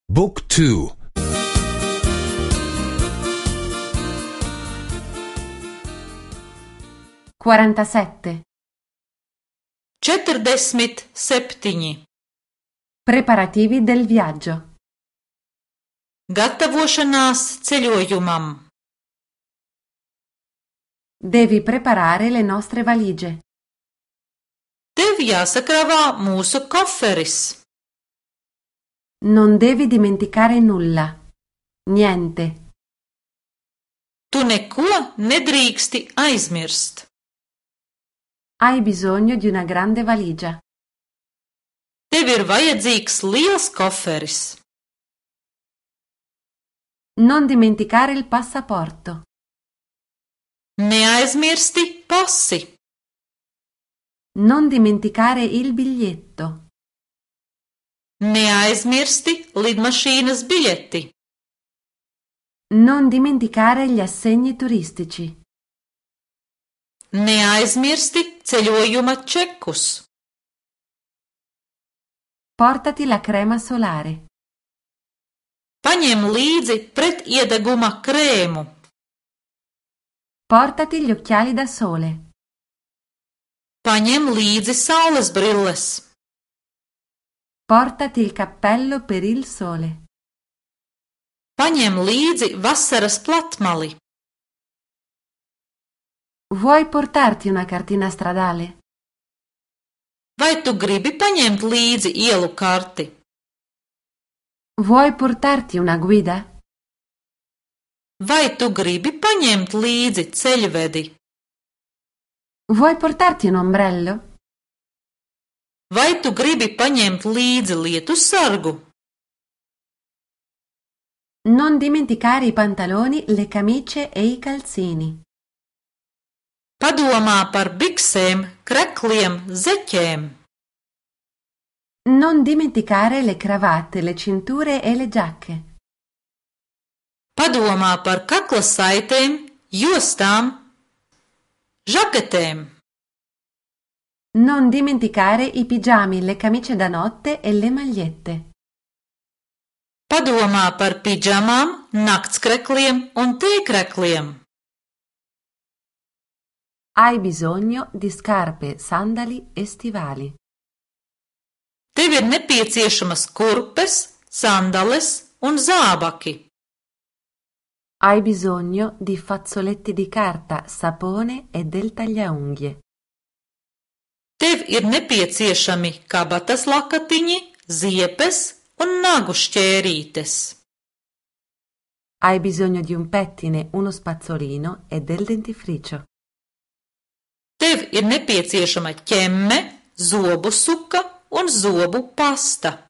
Book 2. 47. 47. Preparativi del viaggio. Gatavošanās ceļojumam. Devi preparare le nostre valigie. Tev jāsakrāvā mūsu koferis. Non devi dimenticare nulla. Niente. Tu neko nedrīksti aizmirst. Hai bisogno di una grande valigia. Tev ir vajadzīgs liels koferis. Non dimenticare il passaporto. Neaizmirsti pasi. Non dimenticare il biglietto. Neaizmirsti lidmašīnas biļeti. Non dimenticare gli assegni turistici. Neaizmirsti ceļojuma čekus. Portati la crema solare. Paņem līdzi pretiedeguma krēmu. Portati gli occhiali da sole. Paņem līdzi saules brilles. Portati il cappello per il sole. Paņem līdzi vasaras platmali. Vuoi portarti una cartina stradale? Vai tu gribi paņemt līdzi ielu karti? Vuoi portarti una guida? Vai tu gribi paņemt līdzi ceļvedi? Vuoi portarti un ombrello? Vai tu gribi paņemt līdzi lietussargu? Non dimenticare i pantaloni, le camicie e i calzini. Padomā par biksēm, krekliem, zeķēm. Non dimenticare le cravatte, le cinture e le giacche. Padomā par kakla saitēm, jostām, žaketēm. Non dimenticare i pigiami, le camicie da notte e le magliette. Padomā par pidžamām, naktskrekliem un tēkrekliem. Hai bisogno di scarpe, sandali e stivali. Tev ir nepieciešamas kurpes, sandales un zābaki. Hai bisogno di fazzoletti di carta, sapone e del tagliaunghie. Tev ir nepieciešami kabatas lakatiņi, ziepes un nagu šķērītes. Hai bisogno di un pettine, uno spazzolino e del dentifricio. Tev ir nepieciešama ķemme, zobu suka un zobu pasta.